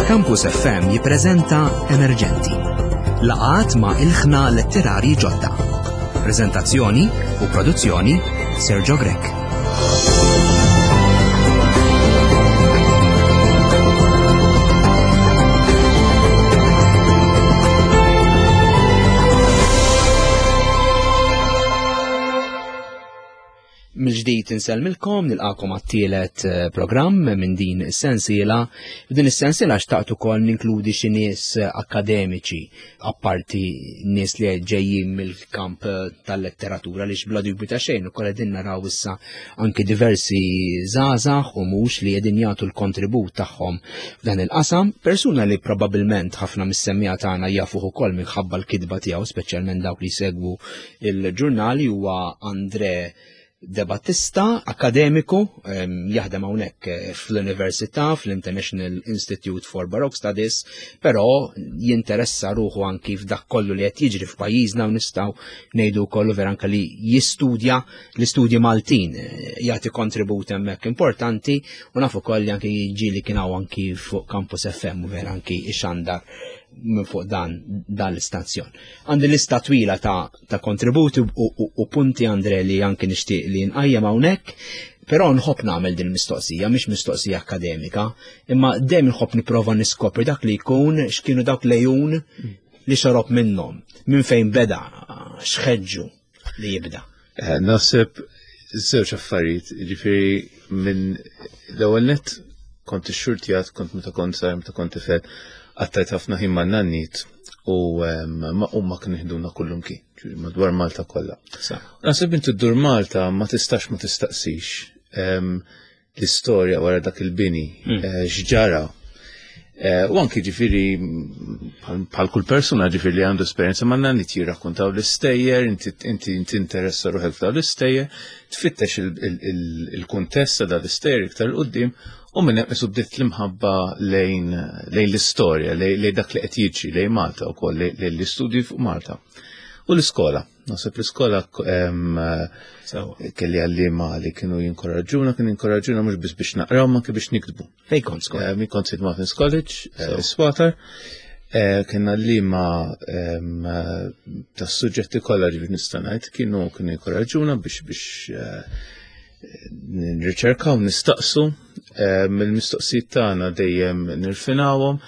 Campus FM jippreżenta Emerġenti. Laqat ma' ilħna letterari ġodda. Preżentazzjoni u produzzjoni Sergio Grech. Mill-ġdid insellmilkom, nilqakom għat-tielet eh, programm minn din is-sensiela. F'din is-sensiela xtaqt ukoll ninkludi xi nies eh, akademiċi, apparti nies li ġejjin mill-kamp eh, tal-letteratura li bla dubju ta' xejn ukoll qegħdin naraw issa anki diversi żgħażagħ u mhux li qegħdin jagħtu l-kontribut tagħhom f'dan il-qasam. Persuna li probabbilment ħafna mis-semmija tagħna jafuh ukoll minħabba l-kitba tiegħu, speċjalment dawk li jsegwu il-ġurnali huwa Andre De Battista, akademiku, jaħdem hawnhekk eh, fl-Università, fl-International Institute for Baroque Studies, però jinteressa ruħu anki f'dak kollu li qed jiġri f'pajjiżna u nistgħu ngħidu kollu vera anke li jistudja l-istudji Maltin, eh, jagħti kontribut hemmhekk importanti u nafu koll li anki ġieli kien hawn anki fuq Campus FM u vera anki ixandar minn fuq dan dan l-istazzjon. Għandi lista twila ta', ta kontributi u, u, u punti Andre li anki nixtieq li nqajjem hawnhekk, però nħobb nagħmel din mistoqsija, mhix mistoqsija akademika, imma dejjem nħobb nipprova niskopri dak li jkun x'kienu dawk lejun li xorob minnhom, minn fejn beda, x'ħeġġu li jibda. Eh, naħseb żewġ affarijiet, ġifieri minn l-ewwel nett kont ixxurtjat, kont meta kont sar, meta kont tifel, qattajt ħafna ħin ma' nannit u ma huma kienu jħduna kullum ki, madwar Malta kollha. Naħseb inti ddur Malta ma tistax ma tistaqsix l-istorja wara dak il-bini, mm. eh, x'ġara. Eh, u anki ġifiri, bħal kull persuna ġifiri li għandu esperjenza ma' nannit jirrakkontaw l-istejjer, inti interessa ruħek f'daw l-istejjer, tfittex il-kuntest ta' daw l-istejjer iktar l-qoddim u minn hemm isu bdiet l-imħabba lejn l-istorja, lejn dak li qed jiġri lejn Malta wkoll lejn l-istudji fuq Malta. U l-iskola. Naħseb l-iskola kelli għallima li kienu jinkoraġġuna, kienu jinkoraġġuna mhux biss biex naqraw, ma anke biex niktbu. Fejn kont skola? Min kont St. Martin's College, eh, Swatar. Eh, kien għallima tas suġġetti kollha ġifieri nista' ngħid kienu kienu jinkoraġġuna biex biex eh, nirriċerkaw, nistaqsu, mill-mistoqsijiet tagħna dejjem nirfinawhom,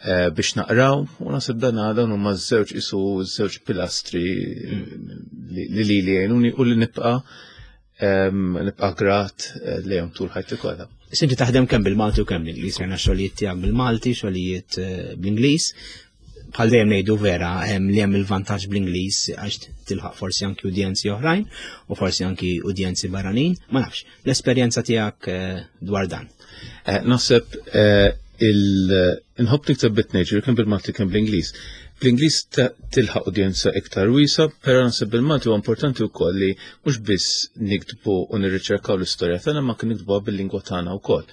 Eh, biex naqraw u nasib dan dawn huma żewġ isu żewġ pilastri li li li jgħinuni u li nibqa' nibqa' grat eh, lejhom tul ħajti kollha. Sinti taħdem kemm bil-Malti u kemm bl-Ingliż, rajna xogħlijiet tiegħek bil-Malti, xogħlijiet eh, bl-Ingliż. Bħal dejjem ngħidu vera hemm li hemm il-vantaġġ bl-Ingliż għax tilħaq forsi anki udjenzi oħrajn u forsi anki udjenzi barranin, ma nafx. L-esperjenza tiegħek dwar dan. Eh, naħseb eh, il-nħobb nikteb bit-tnejn, ġifieri kemm bil-Malti kemm bl-Ingliż. Bl-Ingliż tilħaq udjenza iktar wiesa, però naħseb bil-Malti huwa importanti wkoll li mhux biss niktbu u nirriċerkaw l-istorja tagħna ma kien niktbuha bil-lingwa tagħna wkoll.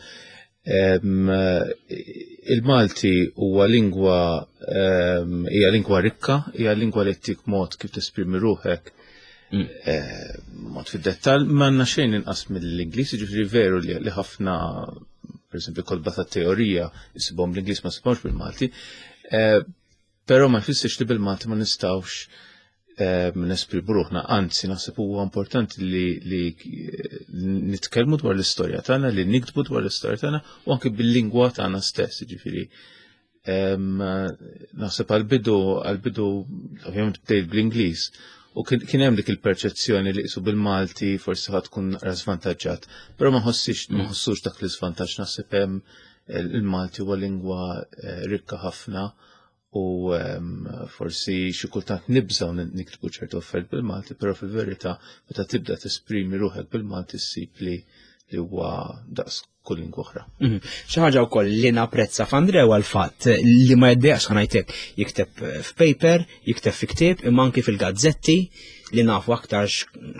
Il-Malti huwa lingwa hija lingwa rikka, hija lingwa li ttik mod kif tesprimi ruħek mm. eh, mod fid-dettall, ma għandna xejn inqas mill-Ingliż, jiġifieri veru li ħafna per esempio kolba ta' teorija jisibhom l-Ingliż ma sibhomx bil-Malti, eh, però ma jfissirx li bil-Malti ma nistgħux eh, nesprimu ruħna, anzi naħseb huwa importanti li, li nitkellmu dwar l-istorja tagħna, li niktbu dwar l-istorja tagħna u anke bil-lingwa tagħna stess, jiġifieri Naħseb għal-bidu, għal-bidu, ovvjament bdejt bl-Ingliż, u kien hemm dik il-perċezzjoni li qisu bil-Malti forsi ħad tkun naqra żvantaġġat, però ma ħossix ma mm. ħossux dak l-iżvantaġġ naħseb hemm il-Malti huwa lingwa eh, rikka ħafna u forsi xi kultant nibżgħu niktbu ċertu affarijiet bil-Malti, però fil-verità meta tibda tesprimi ruħek bil-Malti ssib li li huwa daqs kull lingwa oħra. Mhm. Xi ħaġa wkoll li napprezza f'Andre huwa l-fatt li ma jiddeqx ħanajtek jikteb f'paper, jikteb fi ktieb, imma anki fil-gazzetti li nafu aktar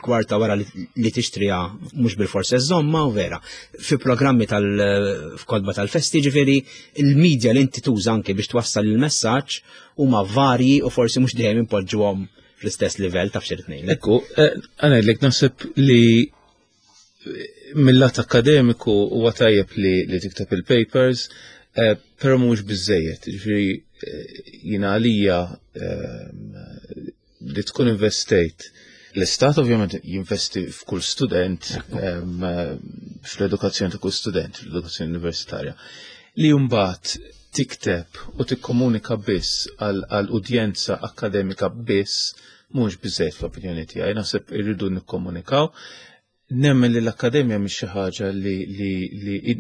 kwarta wara li tixtriha mhux bil-forsi żomma u vera. Fi programmi tal-kodba tal-festi ġifieri il-medja li inti tuża anki biex twassal il-messaġġ huma varji u forsi mhux dejjem impoġġuhom fl-istess livell taf xi ngħidlek. Ekku, eh, għanajdlek naħseb li mill-lat akademiku huwa tajjeb li, li tikteb il-papers. Eh, però mhux biżejjed, ġifieri eh, jiena għalija eh, li tkun investejt L-istat ovvjament jinvesti f'kull student, fl-edukazzjoni ta' kull student, fl-edukazzjoni universitarja, li mbagħad tikteb u tikkomunika biss għal udjenza akademika biss mhux biżejjed fl-opinjoni tiegħi, naħseb irridu nikkomunikaw. Nemmen li l-akkademja mhix xi ħaġa li li li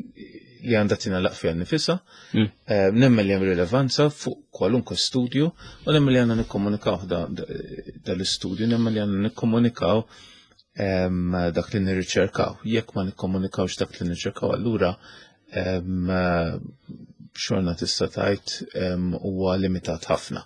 li għandha tingħalaq fiha nifisha. Mm. Eh, nemmen li hemm rilevanza fuq kwalunkwe studju u nemmen li għandna nikkomunikaw dal-istudju, nemmen li għandna nikkomunikaw ehm, dak li nirriċerkaw. Jekk ma nikkomunikawx dak li nirriċerkaw, allura ehm, xorna tista' tgħid ehm, huwa limitat ħafna.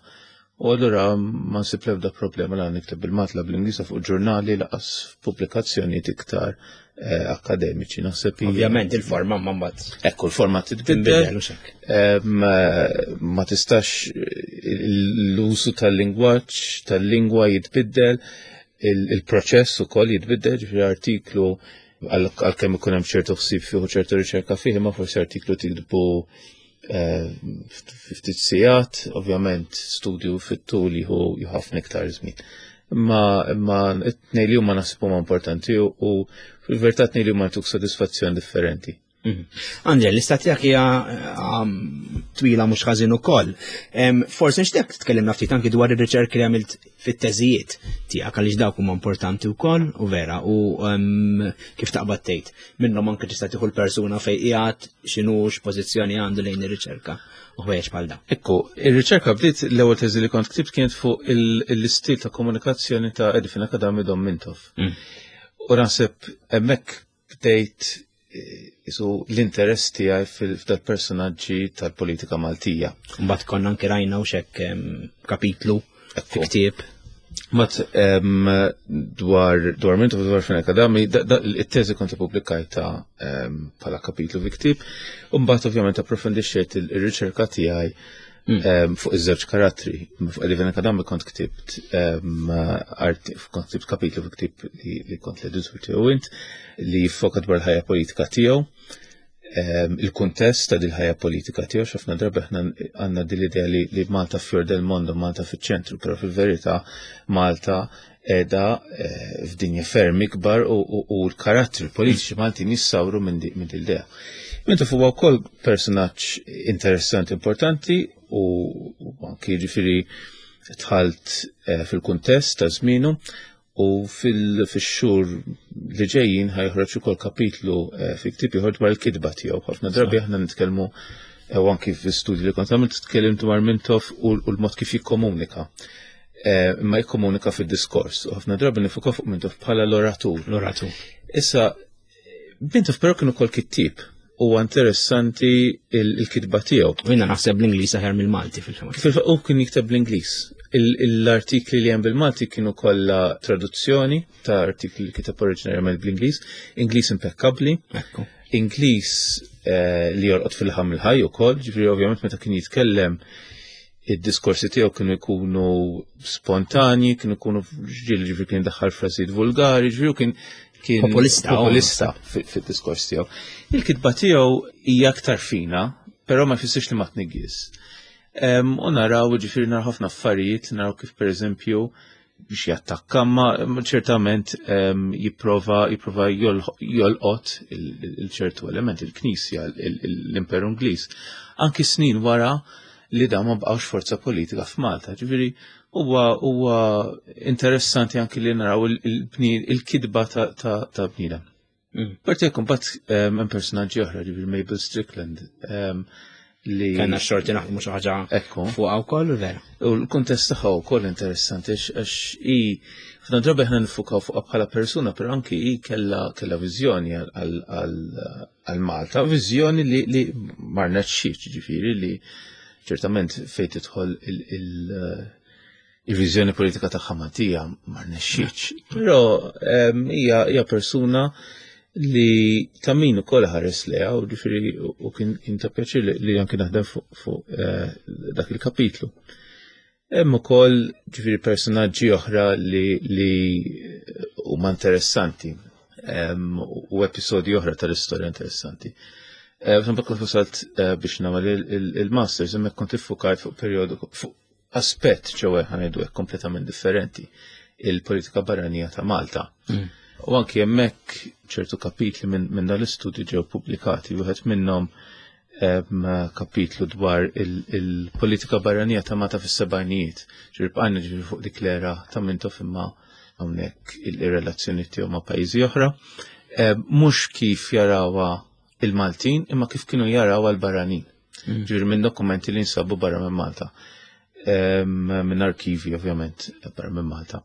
U allura ma nsib l-ebda problema la nikteb bil-Malti bl-Ingliż fuq ġurnali laqas pubblikazzjonijiet iktar eh, akademiċi. Naħseb Ovvjament il-forma ma mbagħad. Ekku l-forma titbiddel. Eh, ma tistax l-użu tal-lingwaġġ tal-lingwa jitbiddel, il-proċess ukoll jitbiddel, ġifieri artiklu għalkemm ikun hemm ċertu ħsieb fih u ċertu riċerka fih, ma forsi artiklu tiktbu eh, ftit sigħat, ovvjament studju fit-tul jieħu ħafna iktar żmien. Imma imma it-tnej li huma naħseb huma importanti u fil-verità tnej li huma tuk sodisfazzjon differenti. Mhm. Andre, l-lista tiegħek hija um, twila mhux ħażin ukoll. Forsi nixtieq tkellimna ftit anki dwar ir-riċerki li għamilt fit-teżijiet tiegħek għaliex dawk huma importanti wkoll u vera u kif taqbad tgħid. Minnhom anke tista' tieħu l-persuna fejn qiegħed x'inhu x'pożizzjoni għandu lejn ir-riċerka u ħwejjeġ bħal dawn. Ekku, ir-riċerka bdiet l-ewwel teżi li kont ktibt kienet fuq l-istil ta' komunikazzjoni ta' Edifin Akadami Dom Mintoff. Mm. U naħseb hemmhekk bdejt eh, isu l-interess tiegħi fil-personaġġi tal-politika Maltija. Mbagħad konna anke rajna u xek kapitlu fi ktieb. Mat dwar dwar Mintoff dwar Fenech Adami, it-teżi kont ippubblikajta bħala kapitlu fi ktieb, u mbagħad ovvjament approfondixxejt il-riċerka tiegħi mm. fuq iż-żewġ karattri. Fuq Eddie Kadami kont ktibt kont ktibt kapitlu fi ktieb li kont l-editur tiegħu int li jiffoka dwar il-ħajja politika tiegħu il-kuntest ta' dil-ħajja politika tiegħu x'ħafna drabi aħna għandna din l-idea li Malta fjor del mondo, Malta fiċ-ċentru, però fil-verità Malta qiegħda eh, f'dinja ferm ikbar u l-karattri politiċi Maltin jissawru minn din l-idea. Mintoff huwa wkoll personaġġ interessanti importanti u anki ġifieri tħalt eh, fil-kuntest ta' żmienu u fil-xhur li ġejjin ħajħroġ ukoll kapitlu eh, fi ktieb ieħor dwar il-kitba tiegħu. Ħafna drabi aħna nitkellmu u anki fl-istudji li kont għamilt tkellimt dwar Mintoff u l-mod kif jikkomunika. Eh, imma jikkomunika fid-diskors. U ħafna drabi nifuka fuq Mintoff bħala l-oratur. L-oratur. Issa, Mintoff però kien ukoll kittieb huwa interessanti il-kitba tiegħu. U jiena naħseb l-Ingliż aħjar mill-Malti fil-fatt. Fil-fatt u kien jikteb bl-Ingliż. L-artikli li hemm bil-Malti kienu kollha traduzzjoni ta' artikli li kiteb oriġinarjament bl-Ingliż, Ingliż impekkabbli. Ingliż eh, li jorqod fil-ħam il-ħaj ukoll, ġifieri ovvjament meta kien jitkellem id-diskorsi tiegħu kienu jkunu spontanji, kienu jkunu ġieli ġifieri kien daħħal frażijiet vulgari, ġifieri kien kien populista, populista fid-diskors tiegħu. Il-kitba tiegħu hija aktar fina, però ma jfissirx li ma tniggis. U naraw ġifieri naraw ħafna affarijiet, naraw kif pereżempju biex jattakka, ma ċertament jipprova jipprova jolqot il-ċertu element il-Knisja, l-Imperu Ingliż. Anki snin wara li dawn ma bqgħux forza politika f'Malta. Ġifieri huwa huwa interessanti anki li naraw il-kidba ta' bniedem. Mm. Parti jekk mbagħad hemm personaġġi oħra, ġifieri Mabel Strickland, li Kenna xorti naħdmu xi ħaġa fuqha wkoll vera. U l-kuntest tagħha wkoll interessanti għax hi ħafna drabi aħna nifukaw fuqha bħala persuna, però anki hi kellha kellha viżjoni għal Malta, viżjoni li li ma rnexxietx, ġifieri li ċertament fejn tidħol il-viżjoni politika tagħha Maltija ma rnexxietx. Però hija hija persuna li ta' min ukoll ħares leha u ġifieri u kien ta' pjaċir li anki naħdem fuq eh, dak il-kapitlu. Hemm ukoll ġifieri personaġġi oħra li li huma interessanti u episodji oħra tal-istorja interessanti. Eh, kif wasalt eh, biex nagħmel il-masters, hemmhekk kont iffukajt fuq perjodu fuq aspett ġewwa ħanejdu hekk kompletament differenti il-politika barranija ta' Malta. U anki hemmhekk ċertu kapitli minn dan l-istudju ġew pubblikati, wieħed minnhom kapitlu dwar il-politika barranija ta' Malta fis-sebgħinijiet. Ġifieri bqajna ġifieri fuq dik l-era ta' Mintoff imma hawnhekk il-relazzjoni tiegħu ma' pajjiżi oħra. Mhux kif jarawha il-Maltin imma kif kienu jarawha l-barranin. Ġifieri minn dokumenti li nsabu barra minn Malta. Minn arkivi ovvjament barra minn Malta.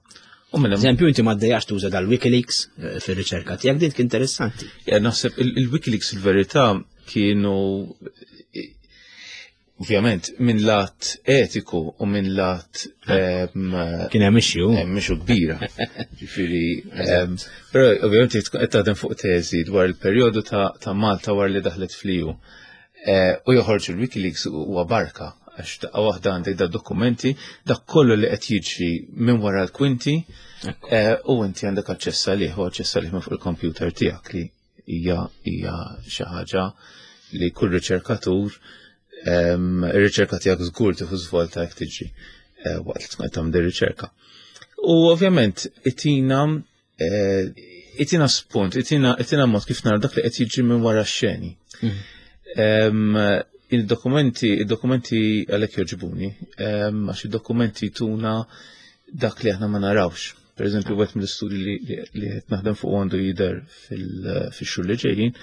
U minn Eżempju, inti ma ddejjax tuża dal-Wikileaks eh, fir-riċerka tiegħek din interessanti. Ja, naħseb il-Wikileaks il-verità kienu ovvjament minn lat etiku u minn lat kien hemm issue. Hemm issue kbira. Ġifieri, però ovvjament qed taħdem fuq teżi dwar il-perjodu ta' Malta wara li daħlet fl-EU. Eh, u joħorġu l-Wikileaks huwa barka għax daqqa waħda għandek da dokumenti, dak kollu li qed jiġri minn wara l-kwinti eh, u inti għandek aċċess għalih u aċċess għalih minn fuq il-kompjuter tiegħek li hija hija xi ħaġa li kull riċerkatur ir-riċerka tiegħek żgur tieħu żvolta jekk tiġi eh, waqt li tkun qed tagħmel riċerka. U ovvjament itina eh, itina spunt, itina itina mod kif nara dak li qed jiġri minn wara x-xeni. Mhm. Il-dokumenti, il-dokumenti għalhekk joġbuni, għax id-dokumenti tuna dak li aħna ma narawx. Per eżempju, għet mill-istudji li qed naħdem fuq għandu jidher fil-xhur li ġejjin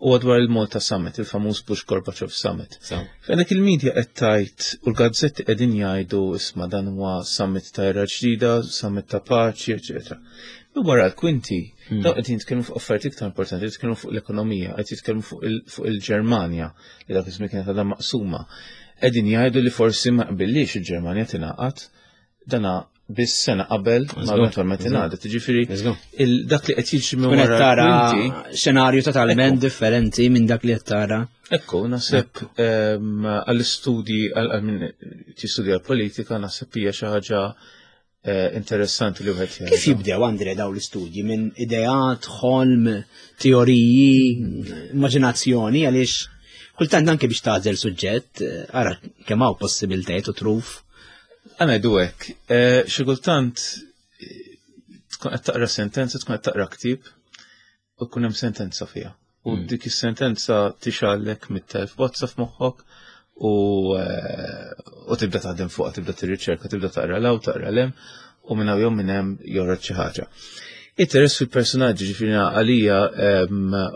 u dwar il-Malta Summit, il-famuż Bush Gorbachev Summit. Fejn il-media qed tgħid u l-gazzetti qegħdin jgħidu isma' dan huwa summit ta' era ġdida, summit ta' paċi, eċetera. U wara l-kwinti, hmm. dawn qed jitkellmu fuq affarijiet iktar importanti, jitkellmu fuq l-ekonomija, qed jitkellmu fuq il-Ġermanja, li dak iż-żmien kienet għadha maqsuma. Qegħdin jgħidu li forsi ma qbillix il-Ġermanja tingħaqad dana biss sena qabel ma eventualment ingħadet. Jiġifieri dak li qed jiġri minn wara tara xenarju totalment differenti minn dak li qed tara. Ekku, naħseb ehm, għall-istudji għal min tistudja l-politika naħseb hija xi ħaġa eh, interessanti li wieħed Kif jibdew Andre daw l-istudji minn ideat, ħolm, teoriji, immaġinazzjoni għaliex kultant anke biex tagħżel suġġett, eh, ara kemm hawn possibiltajiet u truf Għana jdu hekk, eh, xi kultant eh, tkun qed taqra sentenza, tkun qed taqra ktieb u tkun hemm sentenza fiha. U hmm. dik is-sentenza tixgħallek mit-telf bozza f'moħħok u eh, u tibda taħdem fuqha, tibda tirriċerka, tibda taqra law, taqra lem u minn hawn jew minn hemm joħroġ xi ħaġa. Interess fil-personaġġi ġifieri għalija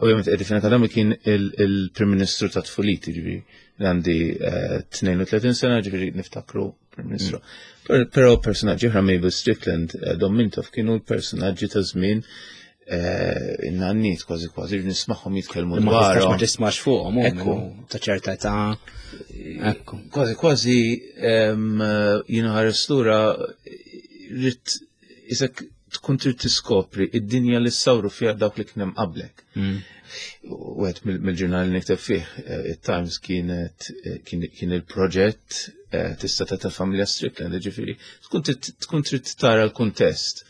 ovvjament qed akademi kien il-Prim Ministru ta' tfuliti ġifieri għandi 32 eh, sena ġifieri niftakru Prim Ministru. Mm. Però personaġġi oħra Mabel Strickland, eh, Dom Mintoff kienu l-personaġġi ta' żmien eh, in-nanniet kważi kważi nismagħhom jitkellmu dwar. Ma tismax fuqhom, ekku ta' ċerta età. Ekku. Kważi kważi jiena ħares lura rrid isek tkun trid tiskopri id-dinja li sawru fiha dawk li kien hemm qablek. Mm. Wieħed mill-ġurnali nikteb fih, eh, it-Times kienet eh, kien il-proġett eh, tista' ta' familja Strickland, ġifieri tkun trid tara l-kuntest.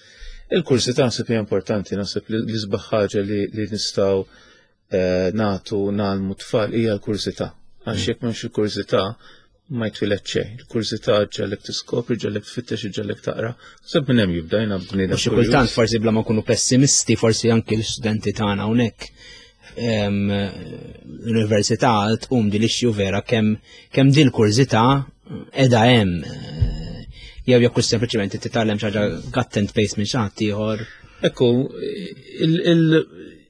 Il-kursi ta' naħseb hija importanti, naħseb li l-isbaħ ħaġa li nistgħu nagħtu nagħlmu tfal hija l-kurżità. Għax mm. jekk m'hemmx il-kurżità ma jtwilet xejn. Il-kurżità ġalek tiskopri, ġalek tfittex, ġalek taqra. Seb minn hemm jibda jiena bniedem. Xi kultant forsi bla ma nkunu pessimisti, forsi anki l-istudenti tagħna hawnhekk l-università tqum din l-issue vera kemm kemm din l-kurżità qiegħda hemm jew jekk sempliċement titgħallem xi ħaġa cut and paste minn xi ħadd ieħor. Ekku,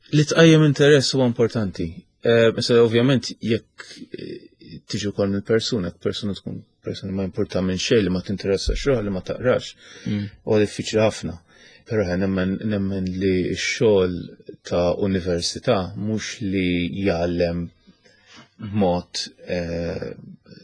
Li tqajjem interess huwa importanti. Eh, issa ovvjament jekk eh, tiġi wkoll mill-persuna, jekk persuna tkun persuna ma importa minn xejn li ma tinteressa xogħol li ma taqrax, mm. huwa diffiċli ħafna. Però nemmen nemmen li x-xogħol ta' università mhux li jgħallem b'mod eh,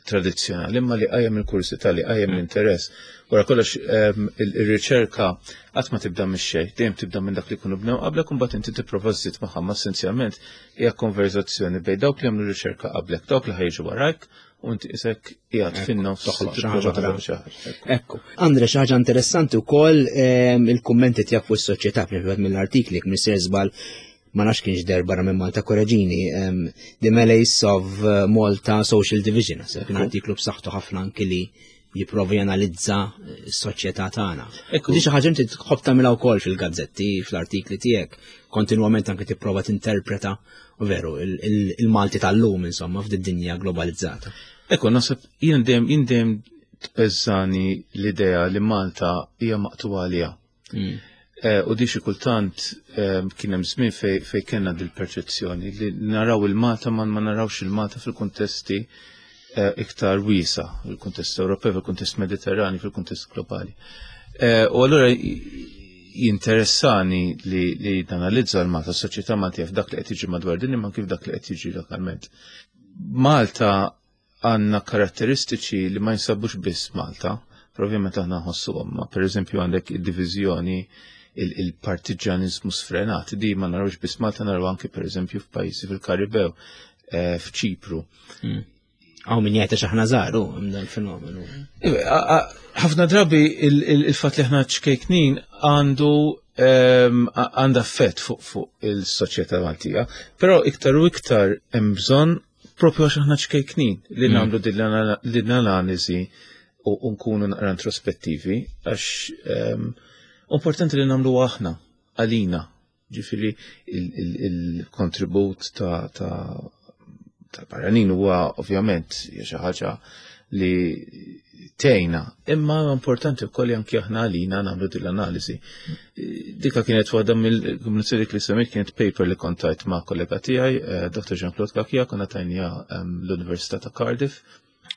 tradizzjonali, imma li qajjem il-kursità, li qajjem mm. l-interess. Wara kollox ehm, ir-riċerka qatt ma tibda mix-xejn, dejjem tibda minn dak li jkunu bnew qablek u mbagħad inti tipprova żżid magħha, ma essenzjalment hija konverzazzjoni bejn dawk li għamlu riċerka qablek, dawk li ħajġu warajk u inti isek qiegħed fin-nofs toħloq xi ħaġa. Ekku. Andre xi ħaġa interessanti wkoll ehm, il-kummenti tiegħek fuq is-soċjetà, mill-artikli jekk żball. ma nafx kienx der barra minn Malta Koreġini, The Malaise of eh, Malta Social Division, kien artiklu b'saħħtu ħafna anki li jipprova janalizza eh, s-soċjetà tagħna. Ekku. Di xi ħaġa inti tħobb tagħmilha wkoll fil-gazzetti, fl-artikli tiegħek, kontinwament anke tipprova tinterpreta u veru il-Malti tal-lum insomma f'did-dinja globalizzata. Ekku, naħseb jien dejjem jien dejjem tbeżżani l-idea li Malta hija maqtuwa għaliha. Eh, u di xi kultant eh, kien hemm żmien fej, fej kellna dil-perċezzjoni li naraw il-Malta ma ma narawx il-Malta fil-kuntesti eh, iktar wiesa, fil-kuntest Ewropew, fil-kuntest Mediterrani, fil-kuntest globali. U allura jinteressani li, li nanalizza l-Malta, s-soċjetà Maltija f'dak li qed jiġi madwar dinja ma kif dak li qed jiġi lokalment. Malta għandna karatteristiċi li ma jinsabux biss Malta, però ovvjament aħna nħossuhom, ma pereżempju għandek id-diviżjoni il-partiġanizmu sfrenat, di ma narawx biss Malta naraw anke pereżempju f'pajjiżi fil-Karibew, eh, f'Ċipru. Hmm. Għaw min jgħid għax aħna żgħar hemm dan fenomenu. Ħafna drabi il-fatt li aħna ċkejknin għandu ehm, għandha effett fuq il-soċjetà Maltija, però iktar u iktar hemm bżonn propju għax aħna ċkejknin li mm. nagħmlu din l-analiżi u nkunu naqra introspettivi għax ehm, importanti li nagħmlu aħna għalina ġifiri il-kontribut ta' ta' barranin huwa ovvjament hija xi ħaġa li tejna. Imma importanti wkoll li anki aħna għalina nagħmlu din l-analiżi. Dika kienet waħda mill-komunikazzjoni li semmejt kienet paper li kontajt ma' kollega tiegħi, eh, Dr. Jean-Claude Kakia, konna tajnija ehm, l-Università ta' Cardiff.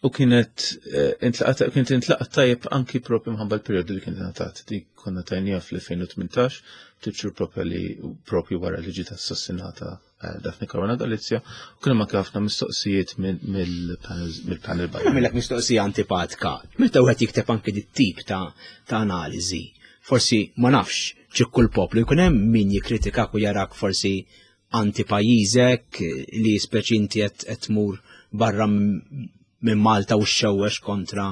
U kienet eh, kienet intlaqat tajjeb anki propju mħabba l-perjodu li kienet ngħatat. Dik konna tajnija fl-2018, titxur propju li propju wara li ġiet assassinata Eh, Daphne Caruana Galizia, u kien hemm ħafna mistoqsijiet mill-panel barra. Nagħmilek mistoqsija antipatika. Meta wieħed jikteb anke dit tip ta' ta' analiżi, forsi ma nafx ċikku l-poplu jkun hemm min jikkritikak u jarak forsi anti pajjiżek li speċi inti qed tmur barra minn Malta u xewwex kontra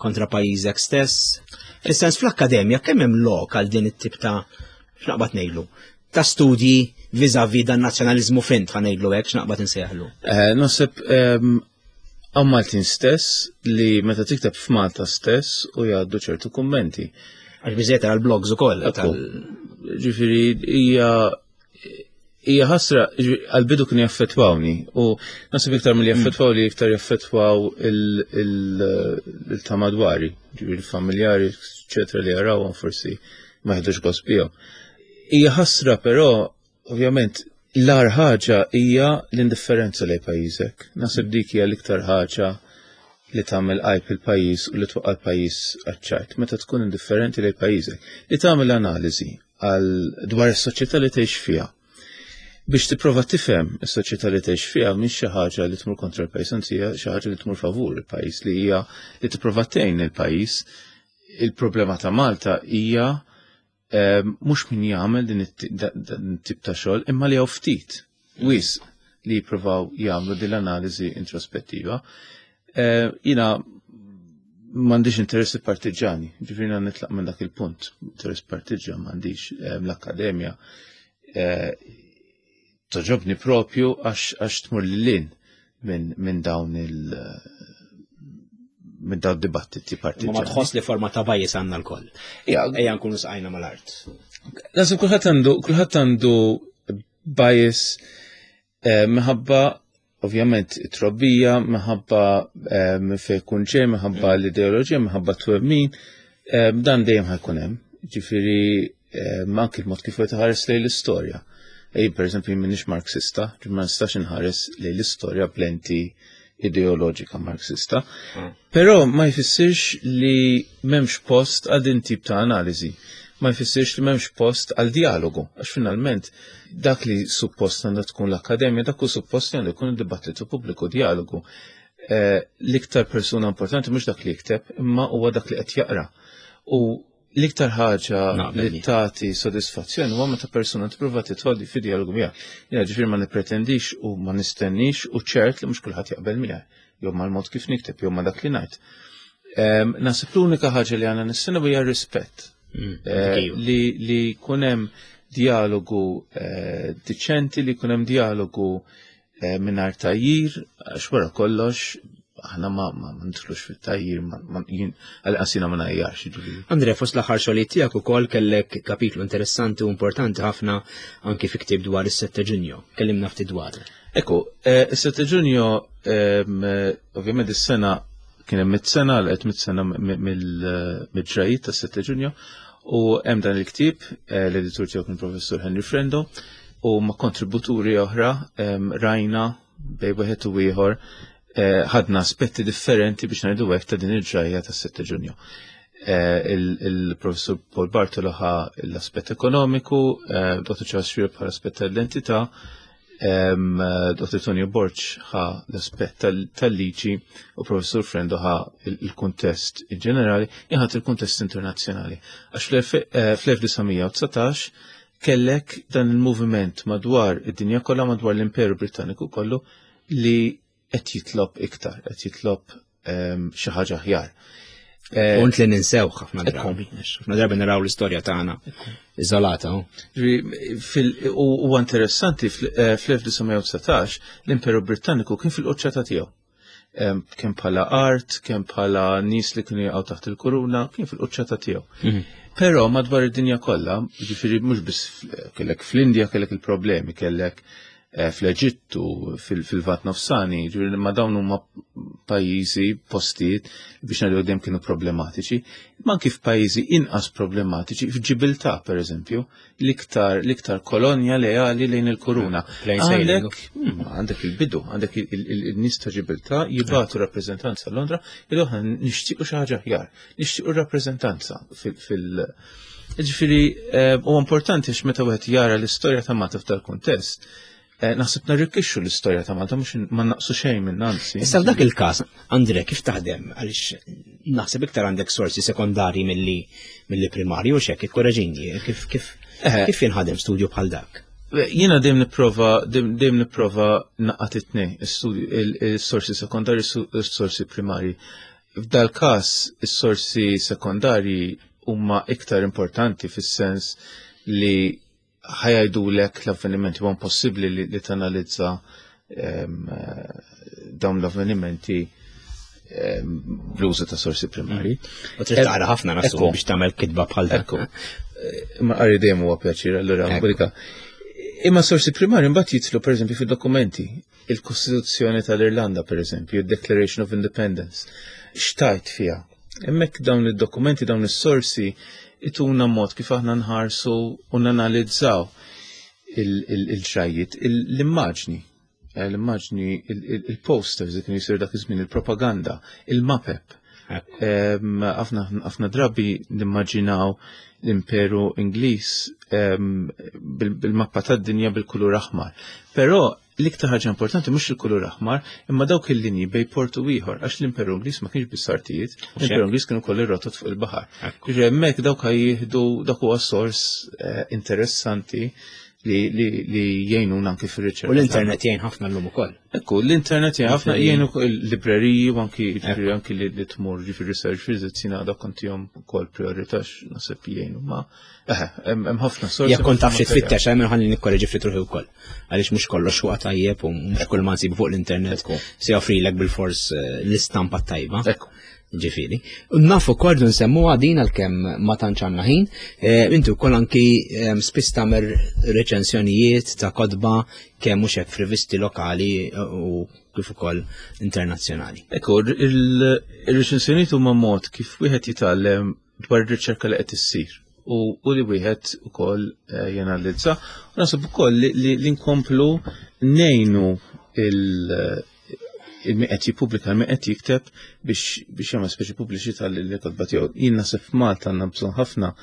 kontra pajjiżek stess. Fis-sens fl-akkademja kemm hemm lok għal din it-tip ta' x'naqbad ngħidlu ta' studji viżavi dan nazzjonaliżmu fint ħa ngħidlu hekk x'naqbad insejħlu. Eh, naħseb ehm, għaw Maltin stess li meta tikteb f'Malta stess u jgħaddu ċertu kummenti. Għax biżejjed għal blogs ukoll. Ġifieri hija hija ħasra għal-bidu kienu jaffettwawni u nasib iktar mill jaffettwaw li iktar jaffettwaw il-ta' madwari, ġifieri il-familjari, eċetera li jarawhom forsi ma jħedux gost bihom. Hija ħasra però ovvjament l-ar ħaġa hija l-indifferenza lejn pajjiżek. Nasib dik hija l-iktar ħaġa li tagħmel għajb il-pajjiż u li twaqqa' l-pajjiż għaċ-ċajt meta tkun indifferenti lejn pajjiżek. Li tagħmel analiżi għal dwar is-soċjetà li tgħix fiha. Biex tipprova tifhem is-soċjetà li tgħix fiha mhix xi ħaġa li tmur kontra l-pajjiż, anzi hija xi ħaġa li tmur favur il-pajjiż li hija li tipprova tgħin il-pajjiż. Il-problema ta' Malta hija eh, mhux min jagħmel din it-tip ta' xogħol imma li hawn ftit wis li jippruvaw jagħmlu din l-analiżi introspettiva. Eh, jina m'għandix interessi partiġani, ġifieri nitlaq minn dak il-punt, interess partiġan m'għandix eh, l-akkademja. Eh, toġobni propju għax tmur lil minn dawn il- minn dawn dibattiti partiġani. Ma tħoss li forma ta' bajis għandna l-koll. Ejja nkunu sqajna mal-art. Nasib kulħadd għandu kulħadd għandu bias eh, minħabba ovvjament it-trobbija, minħabba eh, minn fejn kun ġej, minħabba mm. l-ideoloġija, minħabba twemmin, eh, dan dejjem ħajkun hemm. Ġifieri anki l-mod kif qed ħares lejn l-istorja. Ej, per eżempju, minix Marxista, ma nistax inħares lejn l-istorja b'lenti ideoloġika Marxista. Mm. Però ma jfissirx li m'hemmx post għal din tip ta' analiżi. Ma jfissirx li m'hemmx post għal dialogu, għax finalment dak li suppost għandha tkun l-akkademja, dak hu suppost li għandu jkun id-dibattitu pubbliku, dialogu. Eh, l-iktar persuna importanti mhux dak li jikteb, imma huwa dak li qed jaqra. U l-iktar ħaġa li tagħti sodisfazzjon huwa meta persuna tipprova tidħol fi dialogu miegħek. Jiena ġifieri ma nippretendix u ma nistennix u ċert li mhux kulħadd jaqbel miegħi, jew mal-mod kif nikteb, jew ma dak li ngħid. Ehm, naħseb l-unika ħaġa li għandna nistennew hija rispett. Mm, eh, li li jkun hemm dialogu eh, diċenti, li jkun hemm dialogu eh, mingħajr tajjir, għax wara kollox aħna ma ma nidħlux fit-tajjir, għal jiena ma ngħajjarx. Jiġifieri. Andre, fost l-aħħar xogħlijiet tiegħek ukoll kellek kapitlu interessanti u importanti ħafna anki fi ktieb dwar is-7 Ġunju. Kellimna ftit dwar. Ekku, eh, is-7 Ġunju ehm, ovvjament is-sena kien hemm mit-sena l qed mit-sena mill-ġrajiet tas-7 Ġunju u hemm dan il-ktieb eh, l-editur tiegħu kien professur Henry Frendo u ma' kontributuri oħra ehm, rajna bej wieħed u ieħor eh, ħadna aspetti differenti biex ngħidu hekk ta' din il-ġrajja tas-7 Ġunju. Eh, il-professur Paul Bartolo ħa l-aspett ekonomiku, eh, Dr. Charles Schreier bħala aspett tal-identità, Dr. Tonio Borg ħa l-aspett tal-liġi u professur Frendo ħa il-kuntest in ġenerali, jħat il-kuntest internazzjonali. Għax fl-1919 kellek dan il-moviment madwar id-dinja kollha madwar l-Imperu Britanniku kollu li qed jitlob iktar, qed jitlob ehm, xi ħaġa aħjar. Eh, Punt li ninsew ħafna drabi, ħafna drabi naraw l-istorja tagħna iżolata. Huwa interessanti fl-1919 eh, l-Imperu Britanniku kien fil-quċċata tiegħu. Kemm bħala art, kemm bħala nies li kienu jaqgħu taħt il-kuruna, kien fil-quċċata tiegħu. Mhm. Però madwar id-dinja kollha, ġifieri mhux biss kellek fl-Indja kellek il-problemi, kellek eh, fl-Eġittu, fil-Vat Nofsani, ġifieri ma dawn huma pajjiżi, postijiet biex ngħidu dejjem kienu problematiċi, ma anki f'pajjiżi inqas problematiċi, f'Ġibiltà pereżempju, l-iktar l-iktar kolonja leali lejn il-kuruna. Għandek hmm, għandek il-bidu, għandek il-nies ta' Ġibiltà jibatu rappreżentanza Londra, il aħna nixtiequ xi ħaġa aħjar, nixtiequ rappreżentanza fil- Ġifieri eh, huwa importanti għax meta wieħed jara l-istorja ta' Malta f'dal kuntest, Eh, naħseb narrikkixxu l-istorja ta' Malta mhux ma naqsu xejn minn anzi. Issa f'dak il-każ, Andre, kif taħdem? Għaliex naħseb iktar għandek sorsi sekondari milli milli primarju u xek, ikkoreġini, kif kif eh. kif jinħadem studju bħal dak? Eh, jiena dejjem nipprova dejjem nipprova naqgħad it-tnejn, is-sorsi sekondari u s-sorsi primari. F'dal każ is-sorsi sekondarji huma iktar importanti fis-sens li ħajajdulek l-avvenimenti huwa impossibbli li, li tanalizza ehm, dawn l-avvenimenti ehm, bl-użu ta' sorsi primari. U trid taqra ħafna nasu biex tagħmel kitba bħal dak. Eh, ma qari dejjem huwa pjaċir, allura Imma sorsi primari mbagħad jitlu pereżempju fid-dokumenti, il-Kostituzzjoni tal-Irlanda pereżempju, il-Declaration of Independence, xtajt fiha. Hemmhekk dawn id-dokumenti, dawn is-sorsi ituna mod kif aħna nħarsu u nanalizzaw il-ġrajiet, l-immaġni, eh, l-immaġni, il-posters li kienu jisiru dak iż-żmien, il-propaganda, il-mapep. Ħafna drabi nimmaġinaw l-Imperu Ingliż bil-mappa tad-dinja bil-kulur aħmar. Però L-iktar ħaġa importanti mhux il-kulur aħmar, imma dawk il-linji bej portu ieħor, għax l-Imperu Ingliż ma kienx biss artijiet, l-Imperu Ingliż kienu koll ir-rotot fuq il-baħar. Ġifieri hemmhekk dawk jieħdu dak huwa sors eh, interessanti li, li, li jgħinuna anki fir-riċerka. U l-internet jgħin ħafna llum ukoll. Ekku, l-internet jgħin ħafna jgħin il-libreriji u anki ġifieri anki li, li tmur ġifieri research visits jiena dak kontihom ukoll priorità naħseb jgħinu ma' hemm ħafna sorsi. Jekk kont taf xi tfittex hemm ħalli nikkoreġi ftit ruħi wkoll. Għaliex mhux kollox huwa tajjeb u mhux kull ma nsibu fuq l-internet se joffrilek bil-fors eh, l-istampa tajba. Ġifieri. Naf ukoll nsemmu din għalkemm ma tantx għandna ħin, eh, inti wkoll anki eh, spiss tagħmel reċensjonijiet ta' kotba kemm mhux hekk f'rivisti lokali u kif ukoll internazzjonali. Ekku, il-reċensjonijiet huma mod kif wieħed jitgħallem dwar ir-riċerka li qed issir u, u li wieħed ukoll eh, janalizza. U naħseb ukoll li, li, li nkomplu nejnu il- il-min qed jippubblika, il-min qed jikteb biex biex jagħmel speċi pubbliċità lil kotba tiegħu. Jien naħseb f'Malta għandna bżonn ħafna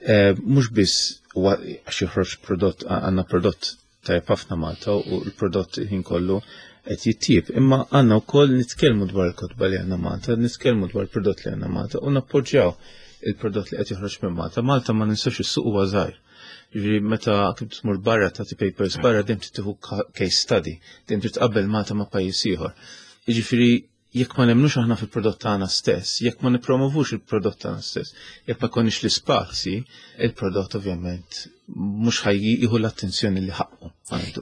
eh, mhux biss għax joħroġ prodott għandna prodott tajjeb ħafna Malta u l-prodott ħin kollu qed jittieb. Imma għandna wkoll nitkellmu dwar il-kotba li għandna Malta, nitkellmu dwar il-prodott li għandna Malta u nappoġġjaw il-prodott li qed joħroġ minn Malta. Malta ma ninsax is-suq huwa żgħir. Ġifieri meta kif tmur barra tagħti papers barra dejjem tieħu case study, dejjem trid tqabbel Malta ma' pajjiż ieħor. Jiġifieri Jekk ma nemnux aħna fil-prodott tagħna stess, jekk ma nippromovux il-prodott tagħna stess, jekk ma jkollniex l-ispazji, il-prodott ovvjament mhux ħaj jieħu l-attenzjoni li ħaqqu.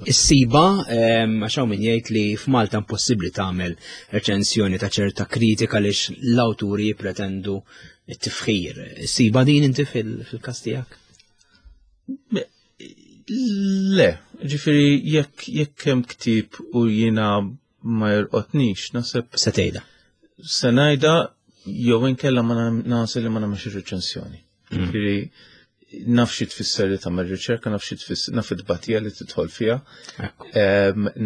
Is-siba, għax hawn min jgħid li f'Malta impossibbli tagħmel reċensjoni ta' ċerta kritika għaliex l-awturi jippretendu t-tifħir. Is-siba din inti fil-każ tiegħek? Le, ġifieri jekk jekk hemm ktieb u jiena ma jorqotnix, naħseb. Se tgħidha. Se ngħidha jew inkella ma nagħsel li ma nagħmilx ir-reċensjoni. Ġifieri naf xi tfisser li tagħmel riċerka, naf xi tfisser, naf it-tbatija li tidħol fiha,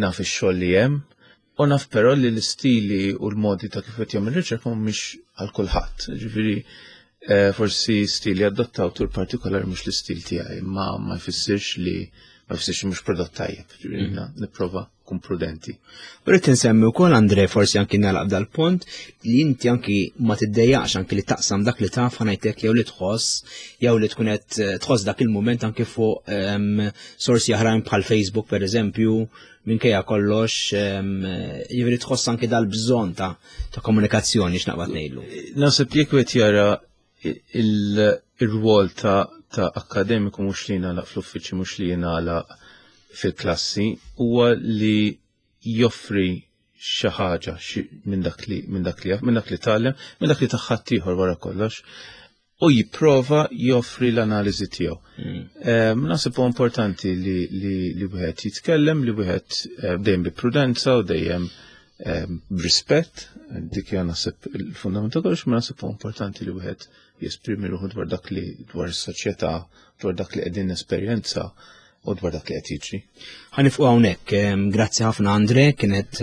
naf ix-xogħol li hemm, u naf però li l-istili u l-modi ta' kif qed jagħmel riċerka mhumiex għal kulħadd. Ġifieri eh, forsi stili adotta awtur partikolari mhux l-istil tiegħi, ma ma jfissirx li ma jfissirx mhux prodott tajjeb. Ġifieri nipprova kun prudenti. U rrid insemmi wkoll Andre forsi anki nagħlaq dal-punt li inti anki ma tiddejjaqx anki li taqsam dak li taf ħanajtek jew li tħoss jew li tkun qed eh, tħoss dak il-mument anki fuq ehm, sorsi oħrajn bħal Facebook pereżempju minkejja kollox ehm, jiġifieri tħoss anki dal-bżonn ta' ta' komunikazzjoni x'naqbad ngħidlu. Naħseb jekk qed jara il-rwol ta' ta' akademiku mhux li jingħalaq fl-uffiċċju mhux li jingħalaq fil-klassi huwa li joffri xi ħaġa minn dak li minn dak li minn dak li tgħallem, minn dak li taħħat ieħor wara kollox u jipprova joffri l-analiżi tiegħu. Mm. Ehm, naħseb huwa importanti li li wieħed jitkellem, li wieħed eh, dejjem bi prudenza u dejjem ehm, b'rispett, dik hija naħseb il-fundament ta' kollox, ma naħseb huwa importanti li wieħed jesprimi ruħu dwar dak li dwar is-soċjetà, dwar dak li qegħdin nesperjenza u dwar dak li qed jiġri. Ħanifqu hawnhekk. Grazzi ħafna Andre, kienet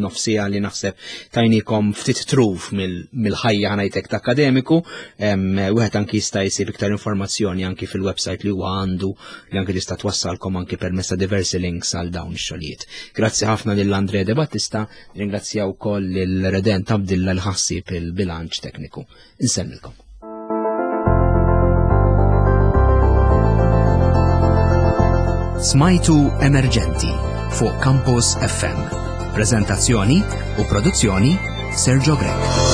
nofsija li naħseb tajnikom ftit truf mill-ħajja ħanajtek ta' akademiku. Wieħed anki jista' jsib iktar informazzjoni anki fil-website li huwa għandu li anki tista' twassalkom anki permezz ta' diversi links għal dawn ix-xogħlijiet. Grazzi ħafna lil Andre De Battista, ringrazzja wkoll lil Redent Abdilla li ħassib il-bilanċ tekniku. Insellmilkom. Smajtu Emerġenti fuq Campus FM. Prezentazzjoni u produzzjoni Sergio Grech.